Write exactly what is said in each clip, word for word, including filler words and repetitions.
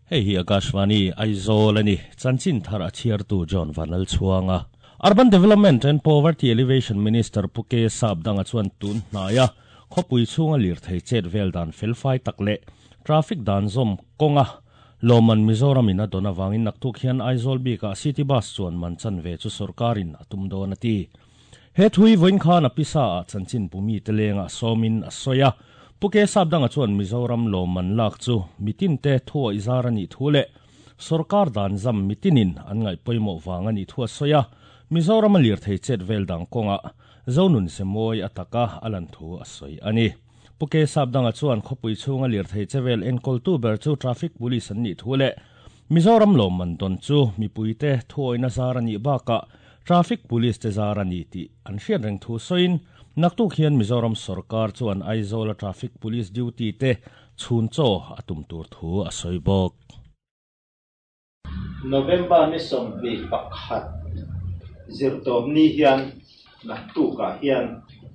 Hei hi Akashvani Aizawl ani chanchin thar a chhiartu John Vanal chuanga Urban Development and Poverty Alleviation Minister Puke Sapdanga chuan tun hnaya khawpui chhunga lir thei chet vel dan felfai tak leh traffic dan zawm kawnga Loman Mizoram in a don awangin naktuk hian Aizawl bika city bus chuan man chan ve chu sarkarin a tum dawn a ti. He thui voin khan a pisa a chanchin bumi telenga sawmin a soya Puke Sapdanga chuan Mizoram Loman lak chu mitin te thua izar ani thule sarkar dan zam mitinin an ngai pawimawh wang ani thua soya Mizoram a lir thei chet vel dang kawnga zonun semoi ataka alan thu a soi ani. Puke Sapdanga chuan khawpui chhunga lir thei chevel enkol tu ber chu traffic police an ni thule Mizoram Loman don chu mipuite thuoina zar ani baka traffic police te zar ani ti an hriat reng thu soin naktuk hian Mizoram sarkar chuan Aizawl traffic police duty te chhun chaw atum tur thu a soi bawk. November ni sawmhnih pakhat zirtawm ni hian naktukah hian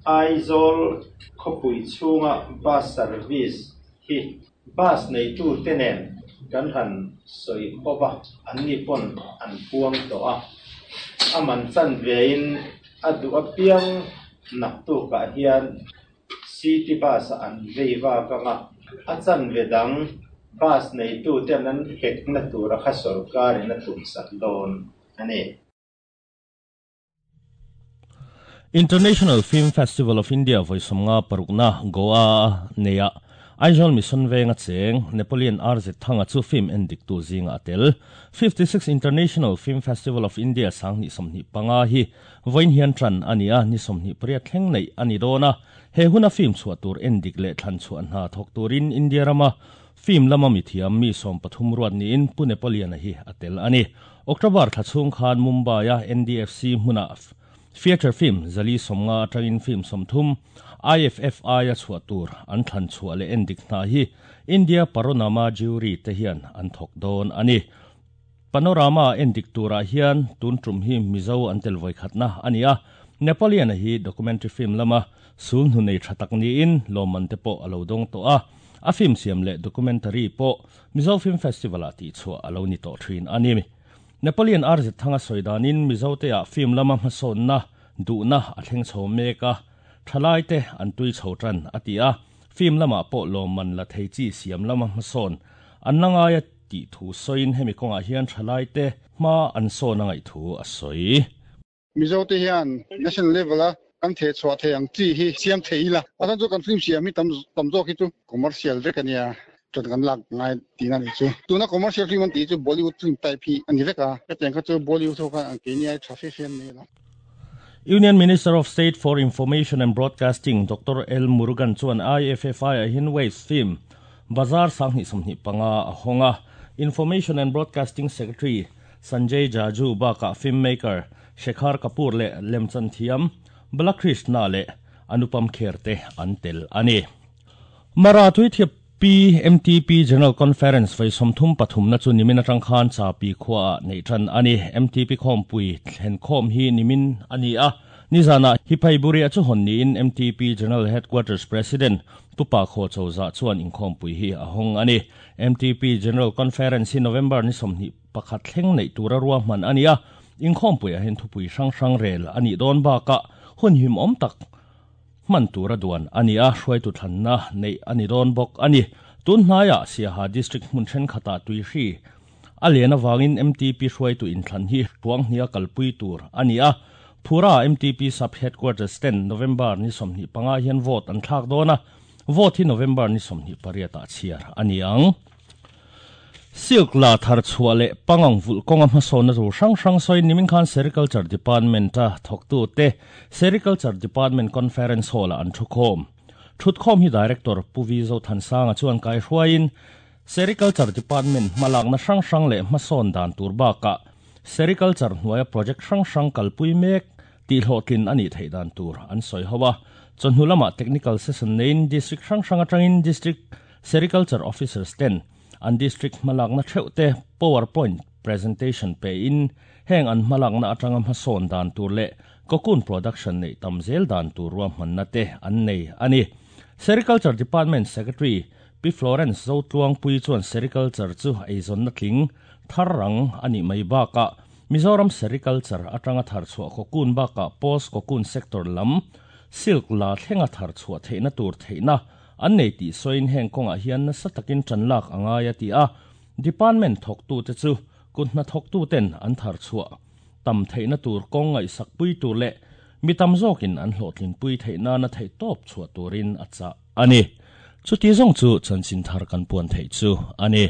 Aizawl khawpui chhunga bus service hi bus neitu te nen kan han sawi hova an ni pawn an puang tawh a aman chan vein a duh apiang naktukah hian city bus an vei vak anga a chan ve dang bus neitu ten an hek na tura kha sarkarin a tum sak dawn ani. International Film Festival of India voisomnga parukna Goa neya Aizawl Mission Venga cheng Napoleon R Z Thanga chu film endik tu zinga atel fifty-six International Film Festival of India sangni somni panga hi voin hian tran ania ni somni pariat thleng nei ani dona he huna film chhuah tur endik leh thlan chuan hna thawk turin India rama film lama mi thiam mi som pathum ruat niin Pu Napoleon hi atel ani. October thla chhung khan Mumbai a N D F C hmuna feature film zali somnga atangin film somthum I F F I a chhuah tur an thlan chhuah leh endik hna hi India Panorama jury te hian an thawk dawn ani. Panorama endik turah hian tun tum hi Mizo an tel voi khatna ani a. Napoleon hi documentary film lama sul hnu nei tha tak niin lawmman te pawh alo dawng tawh a a film siam leh documentary pawh Mizo Film Festival ah tih chhuah alo ni tawh thin ani. Napoleon R Z Thanga soidanin Mizo te ah film lama hmasawnna duhna a thleng chho mek a thalai te an tui chho tan a ti a film lama pawh lawmman la thei chi siam lama hmasawn an la ngaia tih thu sawiin hemi kawngah hian thalai te hma an sawn a ngaih thu a sawi. Mizo te hian national level a kan the chhuah thei ang chi hi siam thei ila a chu kan film siam hi tam tam zawk hi chu commercial vek ania tran kan lak ngai tina ni chu tuna commercial film an ti chu Bollywood film type hi ani vek a hetiang kha chu Bollywood ho khan an keini ai tha fe fe an nei lo. Union Minister of State for Information and Broadcasting Doctor L Murugan chuan I F F I a hin Waves Film Bazar sangni somni panga a honga Information and Broadcasting Secretary Sanjay Jaju baka filmmaker Shekhar Kapoor le Lemchan Thiam Balakrishna le Anupam Kher te an tel ani. Mara tui thiap P M T P General Conference vai somthum pathum na chu nimin atang khan cha pi khwa nei than ani. M T P khom pui thlen khom hi nimin ani a nizana hi phaiburi a chu hon ni in M T P General Headquarters President Tupa kho chawza chuan inkhom pui hi a hong ani. M T P General Conference hi November ni somni pakhat thleng nei tura ruwa hman ani a inkhom pui a hen thupui hrang hrang rel ani don ba ka hun him om tak man tura duan ani a hruai tu thlanna nei ani don bawk ani. Tun hnaiah Siaha district hmun then khata tui hri a lena wangin M T P hruai tu inthlan hi tuang hnia kalpui tur ani a Phura M T P sub headquarters ten November ni somni panga hian vote an thlak dona vote hi November ni somni pariat ah chhiar ani ang. Silk la thar chhuah leh pangang vul kawnga hmasawnna tur hrang hrang sawiin nimin khan Sericulture Department a thawktu te Sericulture Department Conference Hall ah an thu khawm. Thut khawm hi Director Puvi Zo Thansanga chuan kai hruaiin Sericulture Department hmalakna hrang hrang leh hmasawn dan tur bakah Sericulture hnuaia project hrang hrang kalpui mek tih hlawhtlin ani theih dan tur an sawi ho a. Chawhnu lamah technical session neiin district hrang hrang atangin district Sericulture Officers ten an district hmalakna theuh te PowerPoint presentation pe in heng an hmalakna atanga hmasawn dan tur leh cocoon production nei tam zel dan tur ruahmanna te an nei ani. Sericulture Department Secretary Pi Florence zo tluang pui chuan sericulture chu eizawn na tling thar rang ani mai baka Mizoram sericulture atanga thar chhuah cocoon baka post cocoon sector lam silk la thlenga thar chhuah theihna tur theihna an nei ti soin heng konga hian na satakin chanlak angaya ti a department thok tu te chu kunna thok tu ten an thar chhuah tam theihna tur konga isak pui tur le mitam zokin an hlotlin pui theihna na thei top chhuah turin acha ani chu ti zong chu chanchin thar kan puan thei chu ani.